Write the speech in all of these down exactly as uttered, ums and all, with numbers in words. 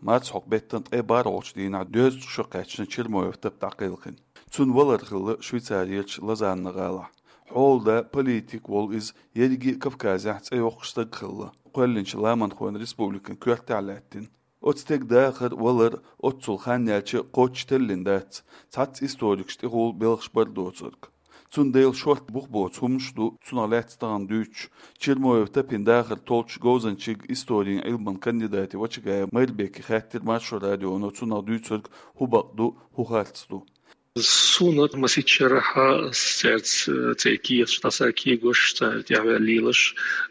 Март хьокху беттан ткъе бархӀалгӀачу дийнахь доьзткъа шо кхаьчна Чермоев Тапа дӀакхелхина. Цуьнан валар хилла Швейцарерчу Лозанна гӀалахь. Хьолада политик волу иза ерриге а Кавказехь цӀе йоккхуш стаг хилла, кхоьллинчу Ламанхойн республикан коьртехь а лаьттина. Оцу стеган дахар, валар оццул хан яьлча кхоччуш теллина дац, цхьацца историкаш тӀехула белхаш бар доцург. Цундела шорта бух боцу хӀуманаш а ду цунах лаьцна тахана дуьйцуш. Чермоев Тапин дахар толлучу говзанчийн, историн Ӏилманан кандидатан Вачагаев Майрбеке хаьттира Маршо радионо цунах дуьйцург хӀун бакъ ду, хӀун харц ду. Суна масийтта шарахь цаьрца, церан кехаташ дӀасакхоьхьуш, царна тӀаьхьаваьлла лелаш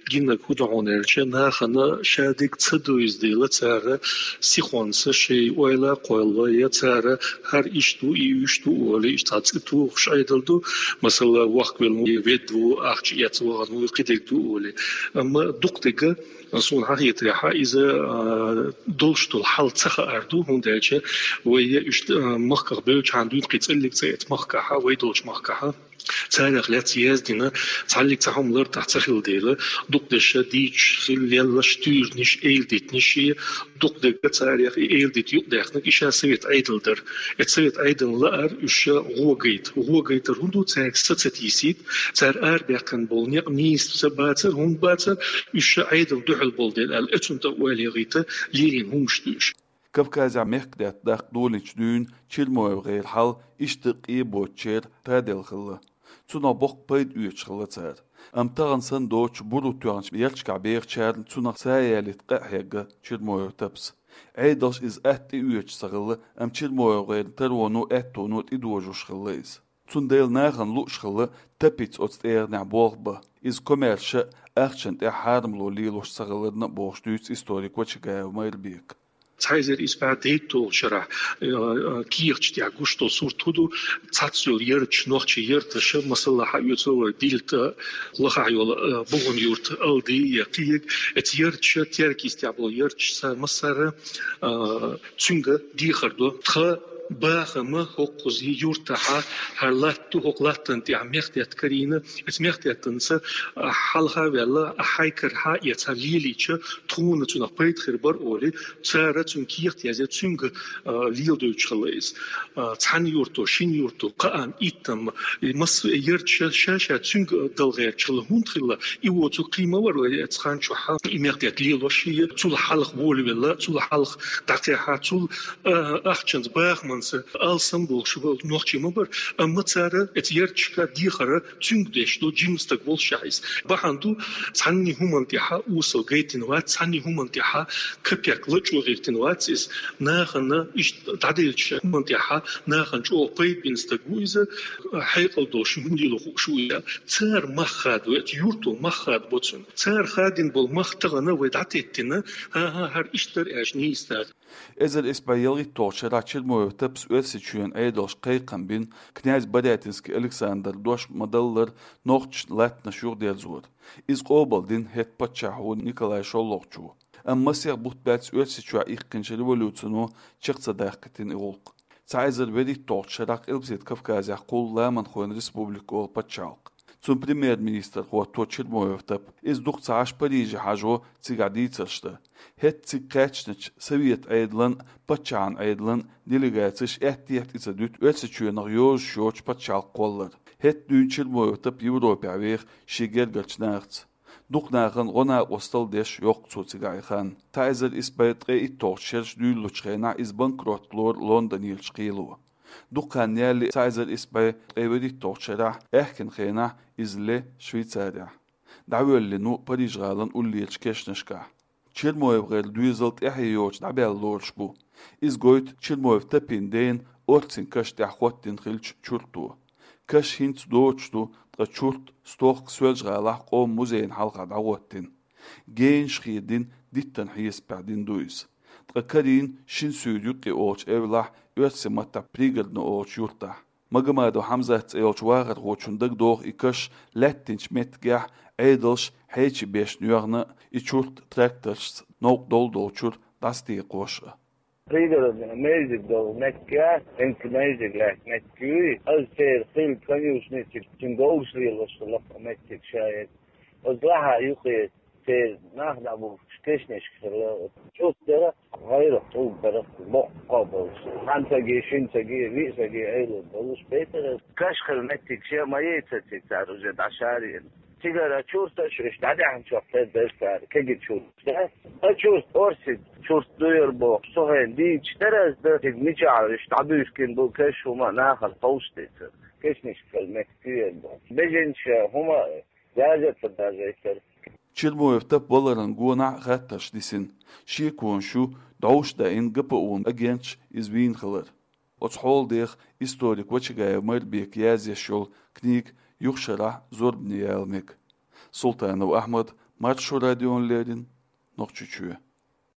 гинарг хӀун ду хьуна аьлча, нахана шадерг ца девза дела, цара сихонца шайн ойла а кхолла, я цара хӀара иштта ву, и уьш ду олий, иштта цхьа цӀе тухуш Ӏедал ду, масала, вохкавелла ву, ведда ву, ахча эцна вахана ву, кхидерг ду олий. Амма дукхадерг, суна хетарехь, иза, а, долуш долу хьал ца хаар ду, хӀунда аьлча вай уьш, а, махках бевлчхьана дуьйна кхин цӀеллиг цӀе эцу махкахь, вай долчу махкахь, царах лаьцна яздина цхьаллиг цхьа хӀума лартӀехь ца хилла дела, дукхадерш дийцуш хилла леллаш туьйранаш, эладитанаш, дукхадерг царах и эладита юкъадаьккхинарг и ша совет Ӏедал дара. И совет Ӏедална лаар уьш гӀо гайта. ГӀо гайтар хӀун ду, цаьрга са ца тийсийта, цара арабаьккхина болу некъ нийса ца бацар, хӀунда бацар, уьш Ӏедална дуьхьал болу дела аьлла, оцунна тӀе ойла яхийта лелийна хӀуманаш ду уьш. Кавказехь мехкадаьтта даккха долийначу дуьйна ЧермоевгӀеран хьал иштта къе боцучеран таделла хилла. Цунах боккха пайда оьцуш хилла цара. Амма тахана санна доцучу буро тоьхначу ярташкахь бехачарна цунах са ялийта къа а хьегна Чермоев Тапас. Ӏедалша иза атта тӀеоьцуш ца хилла, амма ЧермоевгӀеран тароно, аьттоно тӀедожош хилла иза. Цундела нахана лууш хилла Тапица оцу тӀегӀанехь болх бан, иза комаьрша а, ахчанна тӀехь хьарамло лелош ца хиларна а, бохуш дуьйцу историк Вачагаев Майрбека. Цхьа эзар исс бӀе дейтталгӀачу шарахь, э, э, кехаташ тӀехь гуш долу сурт хӀун ду, цхьацца йолу ярташ, нохчийн ярташ, масала, хьаоьцу вай Билта, лахахь йолу, э, БугӀун-Юрт, Алди я кхин ерг, эцу ярташа, теркийстехь болу ярташ, цара массара, э, цуьнга дехар до. Тхан бахам хӀокхузахь юьртахьа, хӀара латта ду, хӀокху латтана тӀехь мехкдаьтта карийна, эцу мехкдаьттанца, а, хьалха а ваьлла, а, хьайн кара хьаэца лелийча, тхуна цунах пайда хир бара олий, цара цуьнан кехат язъян цуьнга, а, леладойтуш хилла иза. А, цхьана юрто, шина юрто, кхаанна, иттанна, и массо а ярташ ша-ша цуьнга дала гӀерташ хилла, хӀунда хилла, и воцург кхин ма вара вай эцу хан чохь, и мехкдаьтта лелош, и цул хьалха волавелла, цул хьалха дӀакхехьа, цул, а, ахчанца, бахамца алсам болуш волу нохчий ма бара, амма цара эцу ярташка дехар цуьнга деш ду, жима стаг волушехь иза. Бахьана ду, цхьанний хӀуманна тӀехьа осал гайтина вац, цхьанний хӀуманна тӀехьа капек лачкъо гӀиртина вац иза. Нахана иштта дӀаделлачу хӀуманна тӀехьа нахана чӀогӀа пайда бина стаг ву иза, хьекъал долуш хӀума лело хууш ву иза. Цара мах хадабо, эцу юрто мах хадабо цунна. Цара хадийна болу мах тахана вай дӀатеттина, хӀан-хӀа, хӀара иштта дара аьлча нийса дара. Эзар исс бӀе ялхитталгӀачу шарахь Чермоев Тапас Оьрсийчоьнан Ӏедалша кхайкхам бина князь Барятинский Александра дош ма-даллара нохчашна латтанаш юхадерзор. Иза къобалдина хӀетахь паччахьо Николай ШоллагӀчо. Амма масех бутт баьлча Оьрсийчохь иккхинчу революцино чекх ца даккхийтина и гӀуллакх. Цхьа эзар вуьрхӀитталгӀачу шарахь Къилбаседа Кавказехь кхуллу Ламанхойн республика олу пачхьалкх. Цуьнан премьер-министр хӀотто Чермоев Тапа. Иза дукха ца Ӏаш Париже хьажо, цигахь дийцарш дан. ХӀетахь цига кхаьчначу совет Ӏедалан а, паччахьан Ӏедалан а делегацеш аьттехьа тӀе ца дуьту Оьрсийчоьнах йозуш йоцу пачхьалкх кхоллар. ХӀетахь дуьйна Чермоев Тапа Европехь веха шен гергарчу нахаца. Дукха нахана гӀо-накъостал деш йоккху цо цигахь и хан. Цхьа эзар исс бӀе ткъе итталгӀачу шераш дуьйлалучу хенахь иза банкрот лору Лондонерчу кхело. Дукха хан ялале, цхьа эзар исс бӀе ткъе вуьрхӀитталгӀачу шарахь, аьхкенан хенахь иза ле Швейцарехь. ДӀавоьллина ву Париж-гӀалин уллерчу кешнашкахь. ЧермоевгӀеран доьзал тӀаьхье йоцуш дӀабаьлла лоруш бу. Иза гойту Чермоев Тапин дена орцин каш тӀехь хӀоттийна хиллачу чурто. Каш хӀинца доцуш ду, ткъа чурт стохка Соьлжа-ГӀалахь къоман музейна хьалха дӀахӀоттийна. Генаш хедийна, диттан хьесапехь дина ду иза. Ткъа карийна Шина Суьйра юккъе олучу эвлахь, оьрсийн маттахь Пригородно олучу юртахь. Магомадов Хьамзат цӀе йолчу вахархочунна дагадогӀу и каш лаьттинчу меттигехь Ӏедалша хьечий беш йоьхна и чурт тракторшца новкъа долу долчуьра дӀасатекхош а. Пригородно мейзиг долу меттиг, хӀинца мейзиг лаьтта меттиг ю и. Аса церан хилла конюшни чу, цуьнан говраш лелош долу лакха меттиг ша яц. Оцу лахьа юккъе Церан нах дӀабухкаш кешнашка хилла, чурт дара, гӀайрах тӀулг дара, боккха болуш. Цхьана саги, шина саги, виъ саги Ӏелур болуш бейтара. Каш хилла меттиг шен ма яйцар цига цара уже дӀашареана. Цигара чурташ уьш дӀадаьхначохь тера дара цара, кегий чурт. Да? А чурт, орциг чурт дуйар бохуш, цу хенахь дийцаш дара ас дан, цига мичахь уьш дӀабуьйсина бу каш, хӀума нахана ховшадецара. Кешнашка хилла меттиг ю яра бохуш. Бежанча хӀума яза ца дажайтара. Чермоев Тапа валаран гонахь а хаттарш дисина. Шеконаш ю дӀовш даьӀина ГПУ-н агенташа иза вийна хилар. Оцу хьолах деха историк Вачагаев Майрбека язъеш йолу книга юха шарахь зорбане яла мега. Султанов Ахьмад, Маршо радиона леррина, Нохчийчоь.